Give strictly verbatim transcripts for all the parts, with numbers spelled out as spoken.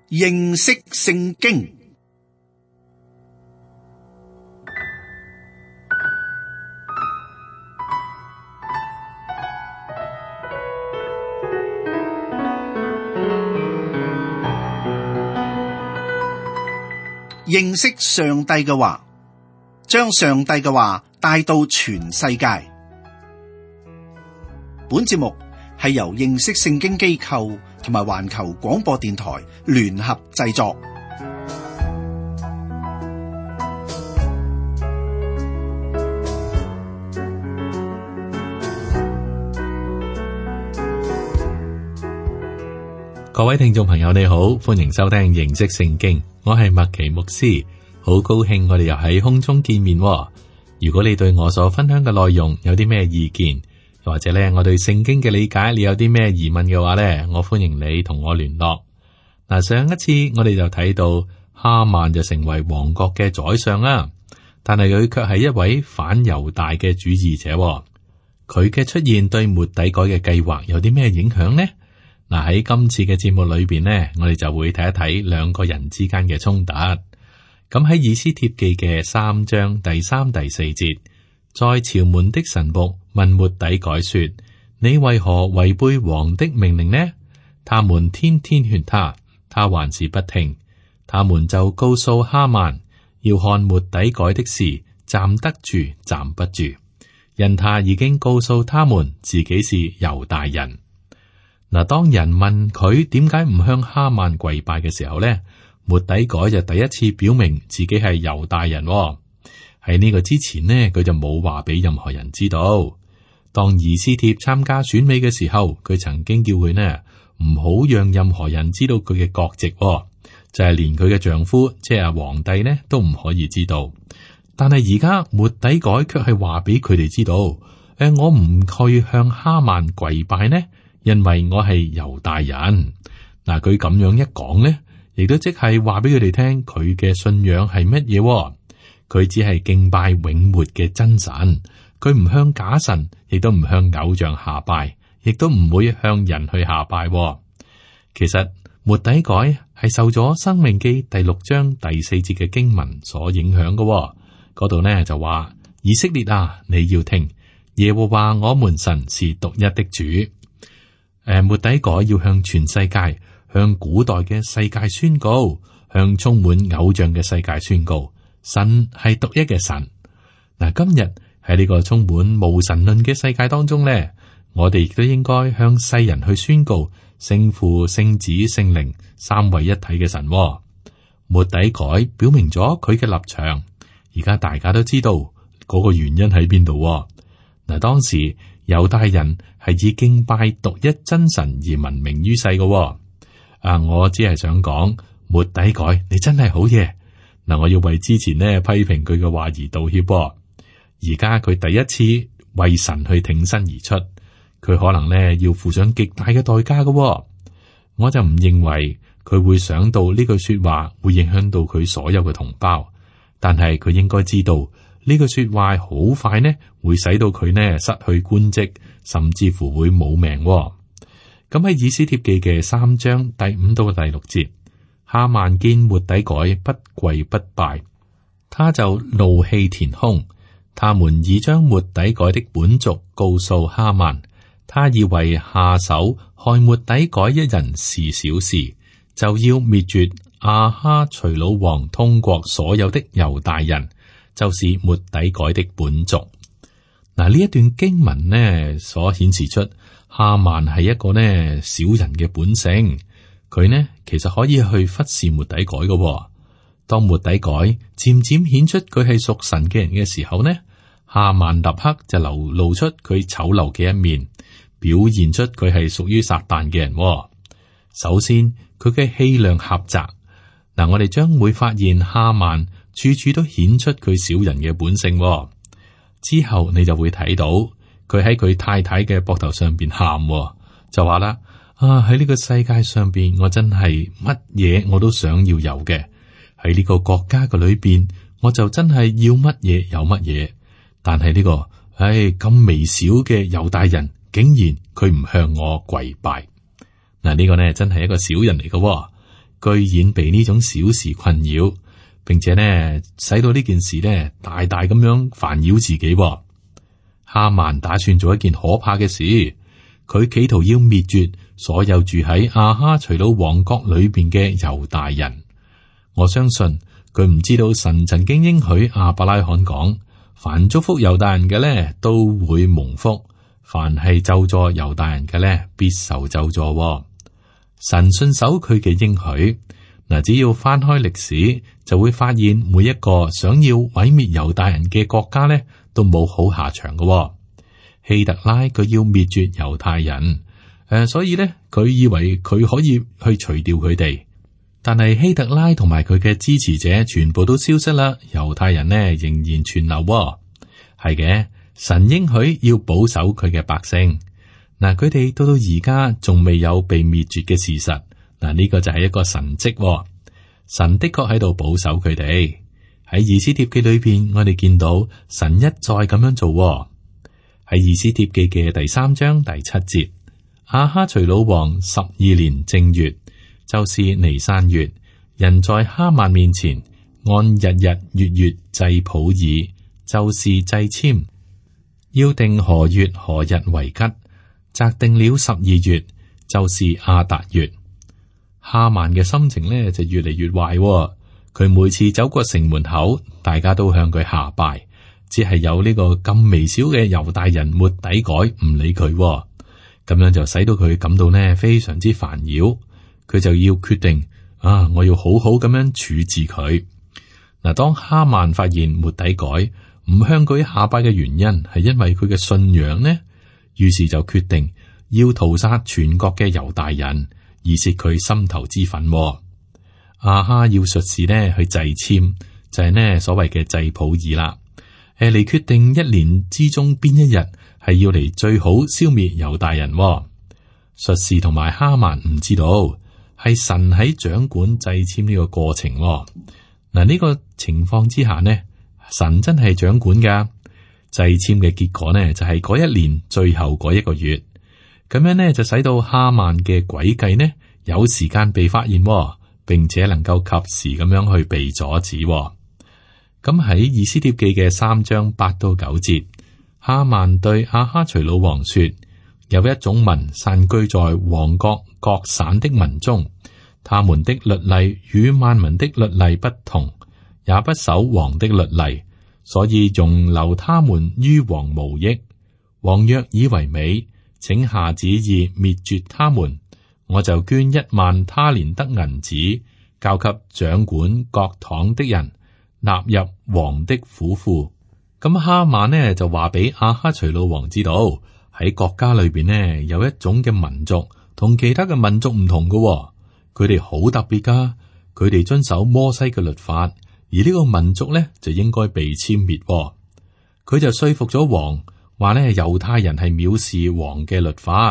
認識聖經。認識上帝嘅話，將上帝嘅話帶到全世界。本節目係由認識聖經機構同埋環球廣播電台聯合製作。各位聽眾朋友，你好，歡迎收聽認識聖經，我係麥奇牧師，好高興我哋又喺空中見面。如果你對我所分享嘅內容有啲咩意見，或者咧我對聖經嘅理解你有啲咩疑問嘅話咧，我歡迎你同我聯絡。嗱，上一次我哋就睇到哈曼就成為王國嘅宰相啦，但係佢卻係一位反猶大嘅主義者。佢嘅出現對末底改嘅計劃有啲咩影響呢？嗱，喺今次嘅節目裏邊呢，我哋就會睇一睇兩個人之間嘅衝突。咁喺以斯帖記嘅三章第三、第四節，在朝門的臣僕問末底改說：你為何違背王的命令呢？他們天天勸他，他還是不聽。他們就告訴哈曼，要看末底改的事，站得住，站不住，因他已經告訴他們自己是猶大人。嗱，當人問佢點解唔向哈曼跪拜嘅時候咧，末底改就第一次表明自己係猶大人。喺呢個之前呢，佢就冇話俾任何人知道。當以斯帖參加選美嘅時候，佢曾經叫佢呢唔好讓任何人知道佢嘅國籍，就係連佢嘅丈夫即係皇帝呢都唔可以知道。但係而家末底改卻係話俾佢哋知道，誒，我唔去向哈曼跪拜呢，因為我係猶大人。嗱，佢咁樣一講呢，亦都即係話俾佢哋聽，佢嘅信仰係乜嘢？佢只係敬拜永活嘅真神，佢唔向假神，亦都唔向偶像下拜，亦都唔會向人去下拜。其實末底改係受咗《申命記》第六章第四節嘅經文所影響嘅。嗰度呢就話：以色列啊，你要聽，耶和華我們神是獨一的主。誒，末底改要向全世界、向古代嘅世界宣告，向充滿偶像嘅世界宣告，神係獨一嘅神。嗱，今日喺呢個充滿無神論嘅世界當中咧，我哋亦都應該向世人去宣告聖父、聖子、聖靈三位一體嘅神。末底改表明咗佢嘅立場，而家大家都知道嗰個原因喺邊度。嗱，當時猶大人係以敬拜獨一真神而聞名於世嘅。啊，我只係想講，末底改你真係好嘢。嗱，我要為之前呢批評佢嘅話而道歉。而家佢第一次為神去挺身而出，佢可能呢要付上極大嘅代價嘅。我就唔認為佢會想到呢句說話會影響到佢所有嘅同胞，但係佢應該知道呢句說話好快呢會使到佢呢失去官職，甚至乎會冇命。咁喺以斯帖記嘅三章第五到第六節，哈曼見末底改不跪不拜，他就怒氣填胸。他們已將末底改的本族告訴哈曼，他以為下手害末底改一人是小事，就要滅絕亞哈隨魯王通國所有的猶大人，就是末底改的本族。嗱，呢一段經文呢，所顯示出哈曼係一個呢小人嘅本性，佢呢其實可以去忽視末底改嘅。當末底改漸漸顯出佢係屬神嘅人嘅時候呢，哈曼立刻就流露出佢醜陋嘅一面，表現出佢係屬於撒旦嘅人。首先，佢嘅氣量狹窄。嗱，我哋將會發現哈曼處處都顯出佢小人嘅本性。之後你就會睇到佢喺佢太太嘅膊頭上邊喊，就話啦：啊，喺呢個世界上邊，我真係乜嘢我都想要有嘅。喺呢個國家嘅裏邊，我就真係要乜嘢有乜嘢。但係呢個，唉，咁微小嘅猶大人，竟然佢唔向我跪拜。嗱，呢個呢真係一個小人嚟嘅。居然被呢種小事困擾，並且呢，使到呢件事呢大大咁樣煩擾自己。哈曼打算做一件可怕嘅事，佢企圖要滅絕所有住喺亞哈隨魯王國裏邊嘅猶大人。我相信佢唔知道神曾經應許亞伯拉罕講，凡祝福猶大人嘅呢都會蒙福，凡係咒詛猶大人嘅呢必受咒詛。神信守佢嘅應許。嗱，只要翻開歷史，就會發現每一個想要毀滅猶大人嘅國家呢，都冇好下場嘅。希特拉佢要滅絕猶太人，誒、呃，所以呢，佢以為佢可以去除掉佢哋，但係希特拉同埋佢嘅支持者全部都消失啦，猶太人呢仍然存留。係嘅，神應許要保守佢嘅百姓。嗱，佢哋到到而家仲未有被滅絕嘅事實。嗱，呢個就係一個神蹟。神的確喺度保守佢哋。喺以斯帖記裏邊，我哋見到神一再咁樣做。喺以斯帖記嘅第三章第七節，亞哈隨魯王十二年正月，就是尼散月，人在哈曼面前按日日月月祭普珥，就是祭籤，要定何月何日為吉，擇定了十二月，就是亞達月。哈曼嘅心情呢就越嚟越壞。佢每次走過城門口，大家都向佢下拜，只係有呢個咁微小嘅猶大人末底改唔理佢，咁樣就使到佢感到呢非常之煩擾。佢就要決定啊，我要好好咁樣處置佢。嗱，當哈曼發現末底改唔向佢下拜嘅原因係因為佢嘅信仰呢，於是就決定要屠殺全國嘅猶大人，以泄佢心頭之憤。亞哈要術士呢去祭籤，就係、是、呢所謂嘅祭普珥啦。誒，嚟決定一年之中邊一日係要嚟最好消滅猶大人。術士同埋哈曼唔知道係神喺掌管祭籤呢個過程。嗱，呢個情況之下呢，神真係掌管噶。祭籤嘅結果呢就係、是、嗰一年最後嗰一個月。咁樣呢，就使到哈曼嘅詭計呢有時間被發現，並且能夠及時咁樣去被阻止。咁喺以斯帖記嘅三章八到九節，哈曼對亞哈隨魯王說：有一種民散居在王國各省的民中，他們的律例與萬民的律例不同，也不守王的律例，所以容留他們於王無益。王若以為美，請下旨意滅絕他們，我就捐一萬他連得銀子，交給掌管各堂的人，納入王的府庫。咁哈曼呢就話俾亞哈隨魯王知道，喺國家裏邊呢有一種嘅民族同其他嘅民族唔同嘅、哦，佢哋好特別噶，佢哋遵守摩西嘅律法，而呢個民族呢就應該被殲滅、哦。佢就說服咗王。話呢，猶太人係藐視王嘅律法，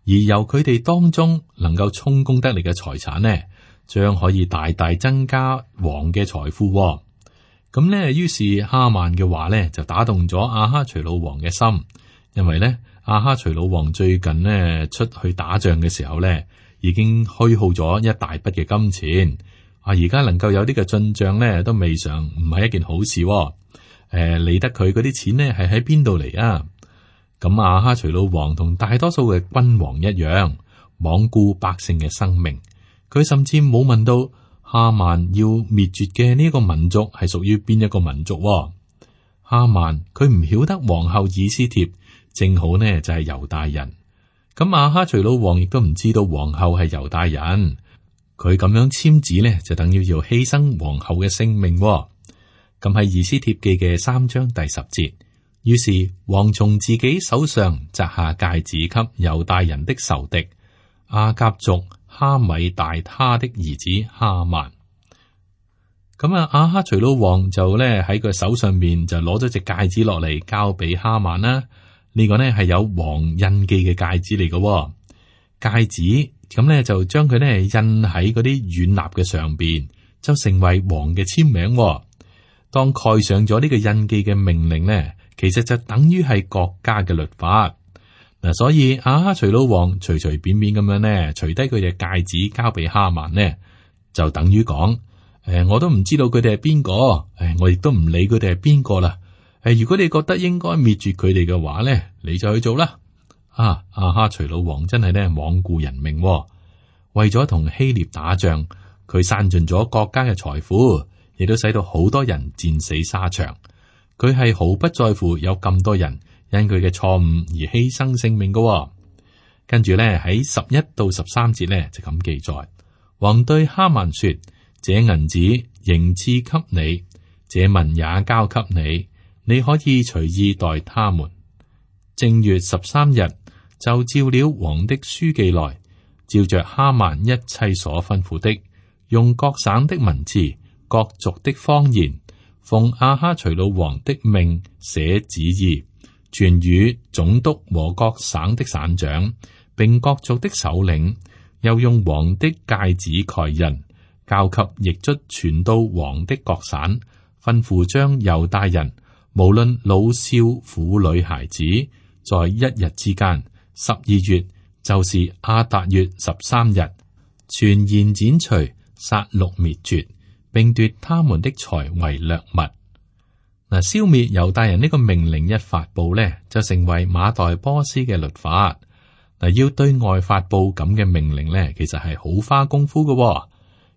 而由佢哋當中能夠充公得嚟嘅財產呢，將可以大大增加王嘅財富。咁呢，於是哈曼嘅話呢，就打動咗亞哈隨魯王嘅心，因為呢，亞哈隨魯王最近呢出去打仗嘅時候呢，已經虛耗咗一大筆嘅金錢，啊，而家能夠有呢個進賬呢，都未嘗唔係一件好事。誒，理得佢嗰啲錢呢係喺邊度嚟啊？咁亞哈隨魯王同大多數嘅君王一樣，罔顧百姓嘅生命。佢甚至冇問到哈曼要滅絕嘅呢個民族係屬於邊一個民族。哈曼佢唔曉得皇后以斯帖正好呢就係猶大人。咁亞哈隨魯王亦都唔知道皇后係猶大人。佢咁樣簽字呢，就等於要犧牲皇后嘅性命。咁喺以斯帖記嘅三章第十節，於是王從自己手上摘下戒指給猶大人的仇敵亞甲族哈米大他的兒子哈曼。咁啊，亞哈隨魯王就咧喺佢手上面就攞咗隻戒指落嚟交俾哈曼啦。呢、這個呢係有王印記嘅戒指嚟嘅戒指，咁咧就將佢咧印喺嗰啲軟蠟嘅上邊，就成為王嘅簽名。當蓋上咗呢個印記嘅命令呢，其實就等於係國家嘅律法嗱，所以亞哈隨魯王隨隨便便咁樣呢，除低佢隻戒指交俾哈曼呢，就等於講，誒、呃，我都唔知道佢哋係邊個，誒、呃，我亦都唔理佢哋係邊個啦。誒、呃，如果你覺得應該滅絕佢哋嘅話咧，你就去做啦。啊，亞哈隨魯王真係咧罔顧人命、哦，為咗同希臘打仗，佢散盡咗國家嘅財富，亦都使到好多人戰死沙場。佢係毫不在乎有咁多人因佢嘅錯誤而犧牲性命嘅、哦。跟住咧喺十一到十三節咧就咁記載，王對哈曼說：這銀子仍賜給你，這民也交給你，你可以隨意待他們。正月十三日，就召了王的書記來，照着哈曼一切所吩咐的，用各省的文字、各族的方言，奉亞哈隨魯王的命寫旨意，傳與總督和各省的省長，並各族的首領，又用王的戒指蓋印，交給驛卒傳到王的各省，吩咐將猶大人，無論老少婦女孩子，在一日之間，十二月，就是亞達月十三日，全然剪除、殺戮滅絕，並奪他們的財為掠物。嗱，消滅猶大人呢個命令一發布呢，就成為馬代波斯嘅律法。嗱，要對外發布咁嘅命令呢，其實係好花功夫嘅，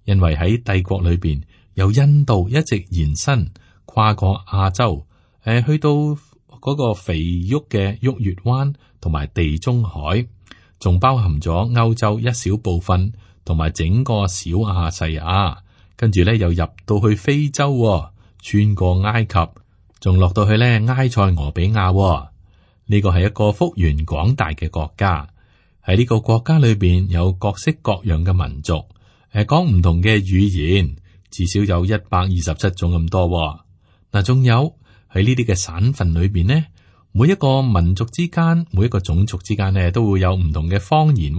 因為喺帝國裏邊，由印度一直延伸跨過亞洲，誒，去到嗰個肥沃嘅沃月灣同埋地中海，仲包含咗歐洲一小部分，同埋整個小亞細亞，跟住咧又入到去非洲，穿過埃及，仲落到去咧埃塞俄比亞。呢個係一個幅員廣大嘅國家，喺呢個國家裏邊有各式各樣嘅民族，誒，講唔同嘅語言，至少有一百二十七種咁多。嗱，仲有喺呢啲嘅省份裏邊呢，每一個民族之間，每一個種族之間呢，都會有唔同嘅方言。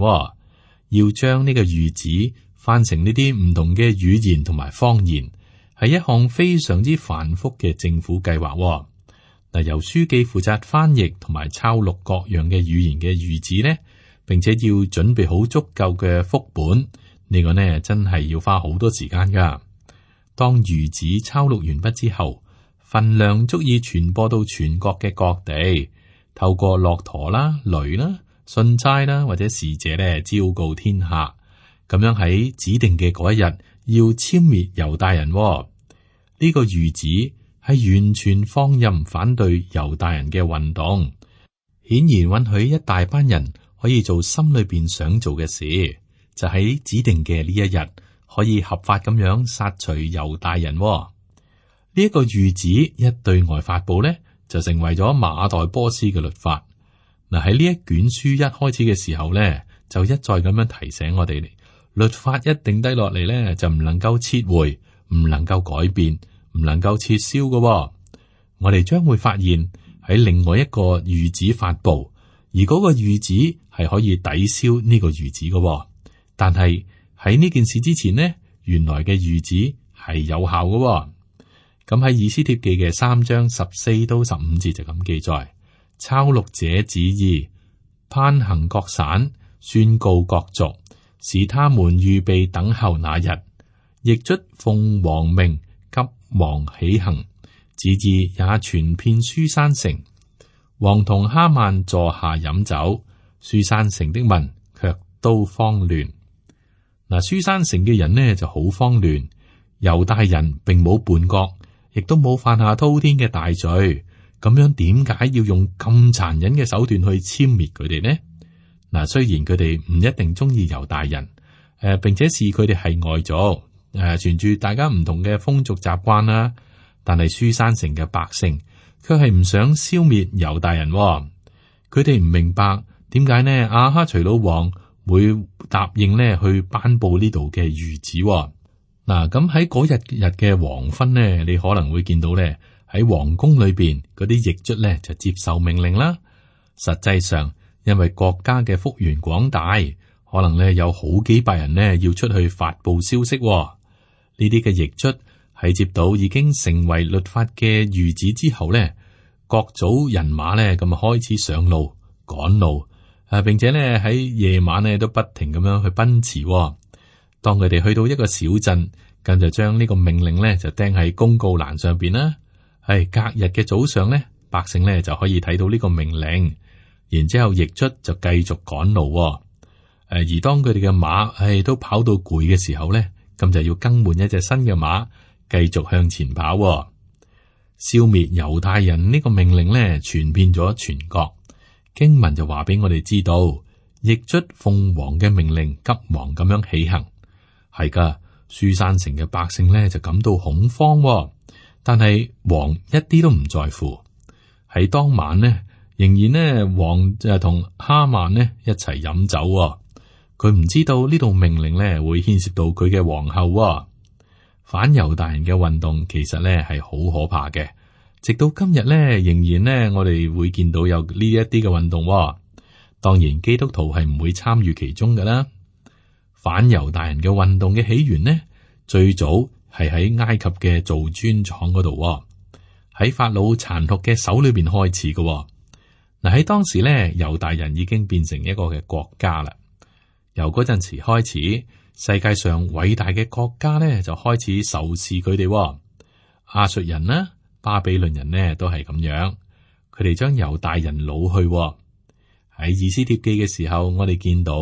要將呢個諭旨翻成呢啲唔同嘅語言同埋方言，係一項非常之繁複嘅政府計劃。嗱，由書記負責翻譯同埋抄錄各樣嘅語言嘅諭旨呢，並且要準備好足夠嘅複本，呢個呢真係要花好多時間噶。當諭旨抄錄完畢之後，份量足以傳播到全國嘅各地，透過駱駝啦、驢啦、信差啦或者使者咧，昭告天下，咁樣喺指定嘅嗰一日要殲滅猶大人。呢個諭旨係完全放任反對猶大人嘅運動，顯然允許一大班人可以做心裏邊想做嘅事，就喺指定嘅呢一日可以合法咁樣殺除猶大人。呢一個諭旨一對外發佈呢，就成為咗馬代波斯嘅律法。嗱，喺呢一卷書一開始嘅時候呢，就一再咁樣提醒我哋，律法一定低落嚟呢，就唔能夠撤回，唔能夠改變，唔能夠撤銷嘅。我哋將會發現喺另外一個諭旨發佈，而嗰個諭旨係可以抵消呢個諭旨嘅。但係喺呢件事之前呢，原來嘅諭旨係有效嘅。咁喺以斯帖記嘅三章十四到十五節就咁記載，抄錄這旨意，攀行各省，宣告各族，使他們預備等候那日。驛卒奉王命，急忙起行，旨意也傳遍書珊城。王同哈曼坐下飲酒，書珊城的民卻都慌亂。嗱，書珊城嘅人呢就好慌亂，猶大人並冇叛國，亦都冇犯下滔天嘅大罪，咁樣點解要用咁殘忍嘅手段去殲滅佢哋呢？嗱，雖然佢哋唔一定中意猶大人，誒、呃，並且視佢哋係外族，誒、呃，傳住大家唔同嘅風俗習慣啦，但係書珊城嘅百姓卻係唔想消滅猶大人，哦，佢哋唔明白點解呢？亞哈隨魯王會答應呢去頒布呢度嘅諭旨。嗱，咁喺嗰日日嘅黃昏呢，你可能會見到咧喺皇宮裏邊嗰啲驛卒咧就接受命令啦。實際上，因為國家嘅幅員廣大，可能咧有好幾百人呢要出去發布消息。呢啲嘅驛卒喺接到已經成為律法嘅諭旨之後咧，各組人馬咧咁啊開始上路趕路，啊，並且咧喺夜晚咧都不停咁樣去奔馳。當佢哋去到一個小鎮，咁就將呢個命令咧就釘喺公告欄上邊啦。係隔日嘅早上咧，百姓咧就可以睇到呢個命令，然之後驛卒就繼續趕路。誒，而當佢哋嘅馬係都跑到攰嘅時候咧，咁就要更換一隻新嘅馬，繼續向前跑。消滅猶太人呢個命令咧，傳遍咗全國。經文就話俾我哋知道，驛卒奉王嘅命令，急忙咁樣起行。係噶，書珊城嘅百姓咧就感到恐慌，但係王一啲都唔在乎。喺當晚呢，仍然呢，王就同哈曼呢一齊飲酒。佢唔知道呢度命令咧會牽涉到佢嘅皇后。反猶大人嘅運動其實咧係好可怕嘅，直到今日咧仍然咧我哋會見到有呢一啲嘅運動。當然基督徒係唔會參與其中㗎啦。反猶大人嘅運動嘅起源呢，最早係喺埃及嘅造磚廠嗰度，喺法老殘酷嘅手裏邊開始嘅。嗱，喺當時咧，猶大人已經變成一個嘅國家啦。由嗰陣時開始，世界上偉大嘅國家咧就開始仇視佢哋。亞述人啦、巴比倫人呢都係咁樣，佢哋將猶大人擄去。喺以斯帖記嘅時候，我哋見到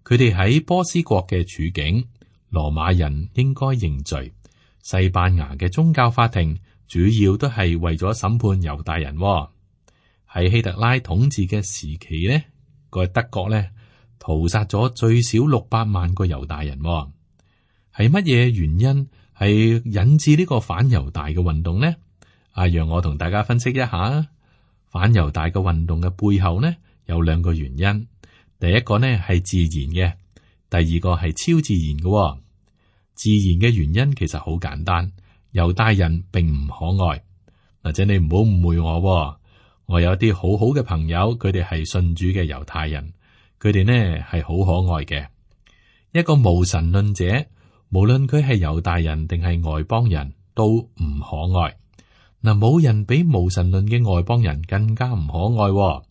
佢哋喺波斯國嘅處境，羅馬人應該認罪。西班牙嘅宗教法庭主要都係為咗審判猶大人。喺希特拉統治嘅時期呢，個德國呢屠殺咗最少六百萬個猶大人。係乜嘢原因係引致呢個反猶大嘅運動呢？啊，讓我同大家分析一下。反猶大嘅運動嘅背後呢，有兩個原因。第一個呢係自然嘅，第二個係超自然嘅。自然嘅原因其實好簡單，猶大人並唔可愛。或者你唔好誤會我，我有啲好好嘅朋友，佢哋係信主嘅猶太人，佢哋呢係好可愛嘅。一個無神論者，無論佢係猶大人定係外邦人，都唔可愛。嗱，冇人比無神論嘅外邦人更加唔可愛，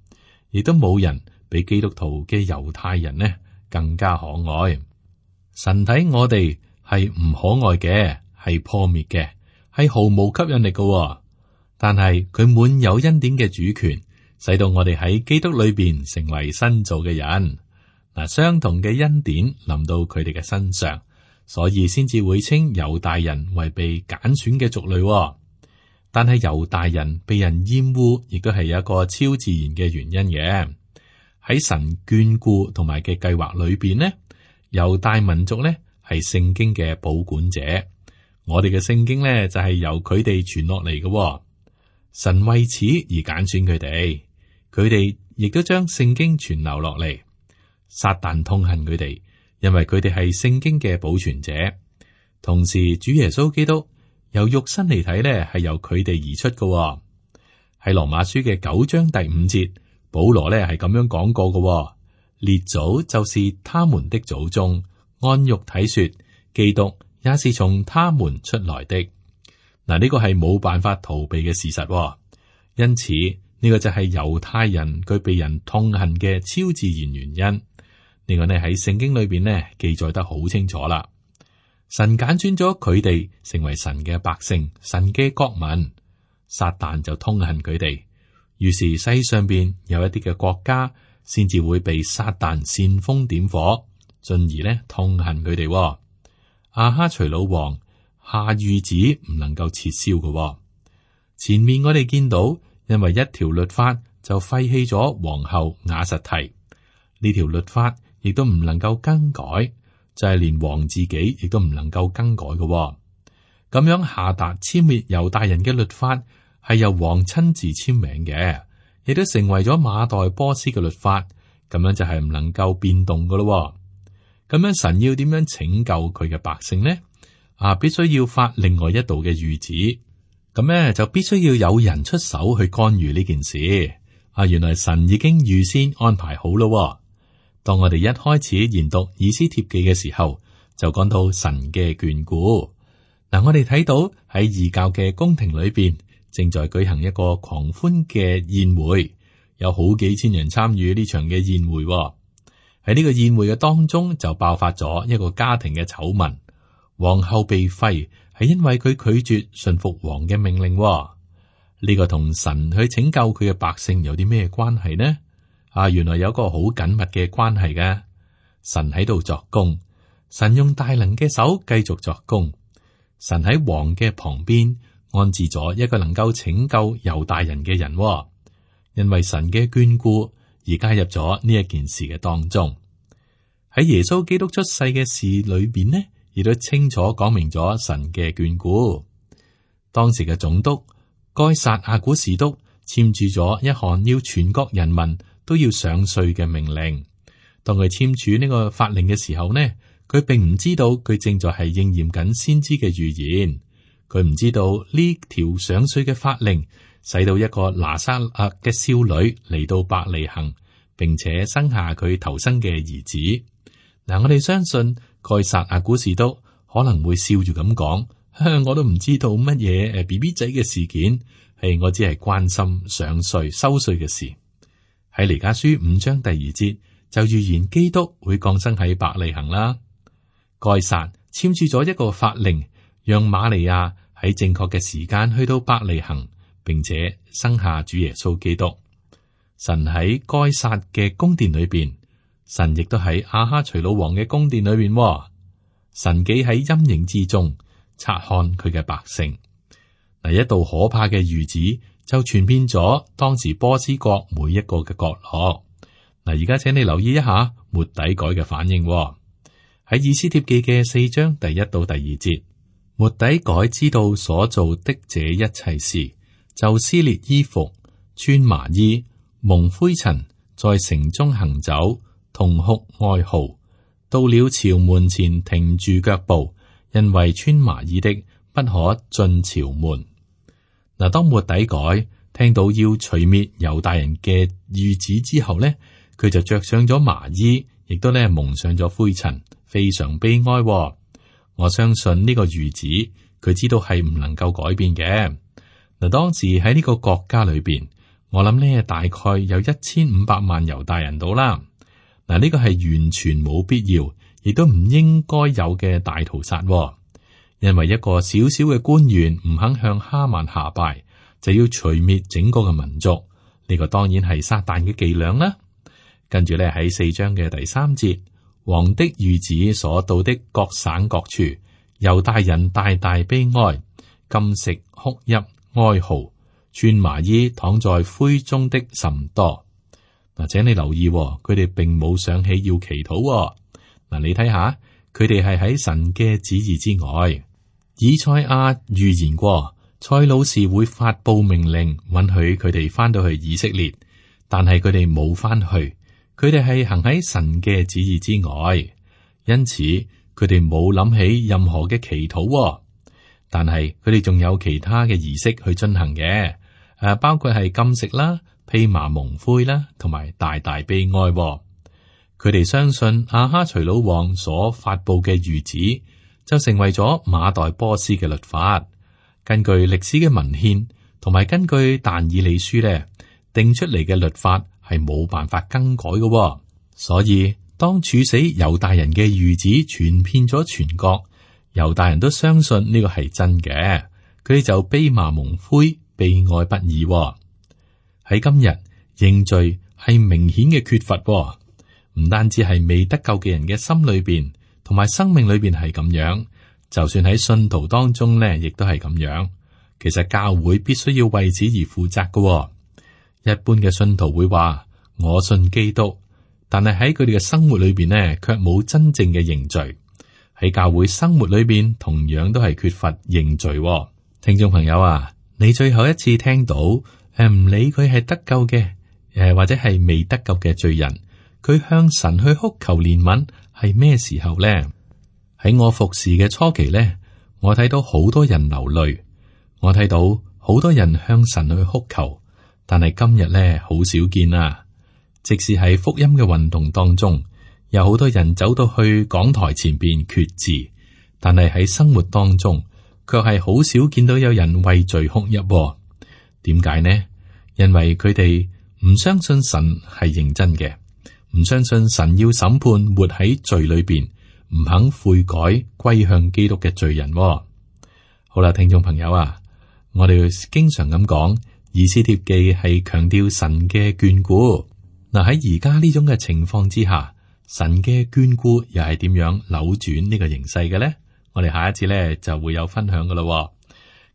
亦都冇人比基督徒嘅猶太人呢更加可愛。神睇我哋係唔可愛嘅，係破滅嘅，係毫無吸引力嘅。但係佢滿有恩典嘅主權，使到我哋喺基督裏邊成為新造嘅人。嗱，相同嘅恩典臨到佢哋嘅身上，所以先至會稱猶大人為被揀選嘅族類。但係猶大人被人厭惡，亦都係有一個超自然嘅原因嘅。喺神眷顧同埋嘅計劃裏邊呢，猶大民族呢係聖經嘅保管者。我哋嘅聖經呢就係由佢哋傳落嚟嘅。神為此而揀選佢哋，佢哋亦都將聖經傳流落嚟。撒旦痛恨佢哋，因為佢哋係聖經嘅保存者。同時，主耶穌基督由肉身嚟睇呢，係由佢哋而出嘅。喺羅馬書嘅九章第五節，保羅呢係咁樣講過嘅：列祖就是他們的祖宗，按肉體說，基督也是從他們出來的。嗱，呢個係冇辦法逃避嘅事實。因此，呢個就係猶太人佢被人痛恨嘅超自然原因。呢個呢喺聖經裏邊呢記載得好清楚啦。神揀選咗佢哋成為神嘅百姓，神嘅國民。撒旦就痛恨佢哋，於是世上邊有一啲嘅國家先至會被撒旦煽風點火，進而呢痛恨佢哋。亞哈隨魯王下諭旨唔能夠撤銷嘅。前面我哋見到，因為一條律法就廢棄咗皇后瓦實提，呢條律法亦都唔能夠更改，就係、是、連王自己亦都唔能夠更改嘅。咁樣下達殲滅猶大人嘅律法係由王親自簽名嘅，亦都成為咗馬代波斯嘅律法。咁樣就係唔能夠變動嘅咯。咁樣神要點樣拯救佢嘅百姓呢？啊，必須要發另外一道嘅諭旨。咁咧就必須要有人出手去干預呢件事。啊，原來神已經預先安排好咯。當我哋一開始研讀以斯帖記嘅時候，就講到神嘅眷顧。嗱、啊，我哋睇到喺異教嘅宮廷裏邊，正在舉行一個狂歡嘅宴會，有好幾千人參與呢場嘅宴會。喺呢個宴會嘅當中就爆發咗一個家庭嘅醜聞，皇后被廢係因為佢拒絕順服王嘅命令。呢個同神去拯救佢嘅百姓有啲咩關係呢？啊，原來有個好緊密嘅關係嘅。神喺度作工，神用大能嘅手繼續作工。神喺王嘅旁邊安置咗一個能夠拯救猶大人嘅人，因為神嘅眷顧而加入咗呢一件事嘅當中。喺耶穌基督出世嘅事裏邊呢，亦都清楚講明咗神嘅眷顧。當時嘅總督該撒亞古士督簽署咗一項要全國人民都要上稅嘅命令。當佢簽署呢個法令嘅時候呢，佢並唔知道佢正在係應驗緊先知嘅預言。佢唔知道呢條上稅嘅法令使到一個拿撒勒嘅少女嚟到伯利恆，並且生下佢頭生嘅兒子。嗱，我哋相信該撒亞古士督可能會笑住咁講：我都唔知道乜嘢誒 B B 仔嘅事件，係我只係關心上稅收稅嘅事。喺彌迦書五章第二節就預言基督會降生喺伯利恆啦。該撒簽署咗一個法令，讓瑪利亞喺正確嘅時間去到伯利恆，並且生下主耶穌基督。神喺該撒嘅宮殿裏邊，神亦都喺亞哈隨魯王嘅宮殿裏邊。神記喺陰影之中察看佢嘅百姓。嗱，一道可怕嘅預旨就傳遍咗當時波斯國每一個嘅角落。嗱，而家請你留意一下末底改嘅反應。喺以斯帖記嘅四章第一到第二節，末底改知道所做的這一切事，就撕裂衣服，穿麻衣，蒙灰塵，在城中行走，痛哭哀號，到了朝門前停住腳步，因為穿麻衣的不可進朝門。嗱，當末底改聽到要除滅猶大人嘅諭旨之後呢，佢就着上咗麻衣，亦都咧蒙上咗灰塵，非常悲哀。我相信呢個諭旨，佢知道係唔能夠改變嘅。嗱，當時喺呢個國家裏邊，我諗呢大概有一千五百萬猶大人到啦。嗱，呢個係完全冇必要，亦都唔應該有嘅大屠殺。因為一個小小嘅官員唔肯向哈曼下拜，就要除滅整個嘅民族。呢個當然係撒旦嘅伎倆啦。跟住咧喺四章嘅第三節，王的諭旨所到的各省各處，猶大人大大悲哀，禁食哭泣哀號，穿麻衣躺在灰中的甚多。嗱，請你留意，佢哋並冇想起要祈禱。嗱，你睇下，佢哋係喺神嘅旨意之外。以賽亞預言過，塞魯士會發佈命令，允許佢哋翻到去以色列，但係佢哋冇翻去，佢哋係行喺神嘅旨意之外，因此佢哋冇諗起任何嘅祈禱。但係佢哋仲有其他嘅儀式去進行嘅，誒，包括係禁食啦、披麻蒙灰啦，同埋大大悲哀。佢哋相信亞哈隨魯王所發佈嘅諭旨，就成為咗馬代波斯嘅律法。根據歷史嘅文獻，同埋根據但以理書咧，定出嚟嘅律法係冇辦法更改嘅。所以當處死猶大人嘅諭旨傳遍咗全國，猶大人都相信呢個係真嘅，佢哋就悲罵蒙灰，悲哀不已。喺今日認罪係明顯嘅缺乏，唔單止係未得救嘅人嘅心裏邊，同埋生命裏邊係咁樣，就算喺信徒當中咧，亦都係咁樣。其實教會必須要為此而負責嘅。一般嘅信徒會話我信基督，但係喺佢哋嘅生活裏邊呢，卻冇真正嘅認罪。喺教會生活裏邊，同樣都係缺乏認罪。聽眾朋友啊，你最後一次聽到誒，唔理佢係得救嘅誒，或者係未得救嘅罪人，佢向神去哭求憐憫係咩時候咧？喺我服侍嘅初期咧，我睇到好多人流淚，我睇到好多人向神去哭求，但係今日咧好少見啊！即使喺福音嘅運動當中，有好多人走到去講台前邊決志，但係喺生活當中，卻係好少見到有人為罪哭泣。點解呢？因為佢哋唔相信神係認真嘅。唔相信神要審判活喺罪裏邊唔肯悔改歸向基督嘅罪人。好啦，聽眾朋友啊，我哋經常咁講，以斯帖記係強調神嘅眷顧。嗱，喺而家呢種嘅情況之下，神嘅眷顧又係點樣扭轉呢個形勢嘅呢？我哋下一次呢就會有分享噶啦。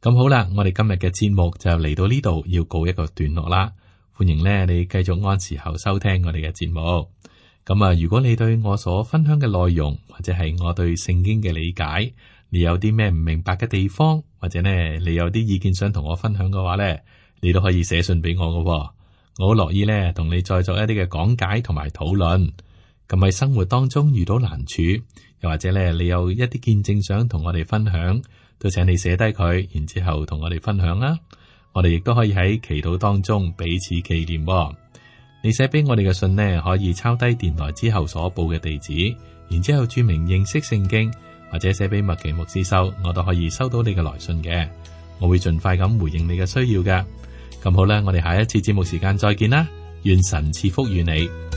咁好啦，我哋今日嘅節目就嚟到呢度，要告一個段落啦。歡迎呢你繼續按時候收聽我哋嘅節目。咁啊，如果你對我所分享嘅內容，或者係我對聖經嘅理解，你有啲咩唔明白嘅地方，或者呢你有啲意見想同我分享嘅話呢，你都可以寫信俾我噶。我好樂意呢同你再作一啲嘅講解同埋討論。咁喺生活當中遇到難處，又或者呢你有一啲見證想同我哋分享，都請你寫低佢，然之後同我哋分享啦。我哋亦都可以喺祈禱當中彼此紀念。你寫俾我哋嘅信呢，可以抄低電台之後所報嘅地址，然之後注明認識聖經，或者寫俾麥奇牧師收，我都可以收到你嘅來信嘅。我會盡快咁回應你嘅需要嘅。咁好啦，我哋下一次節目時間再見啦，願神賜福與你。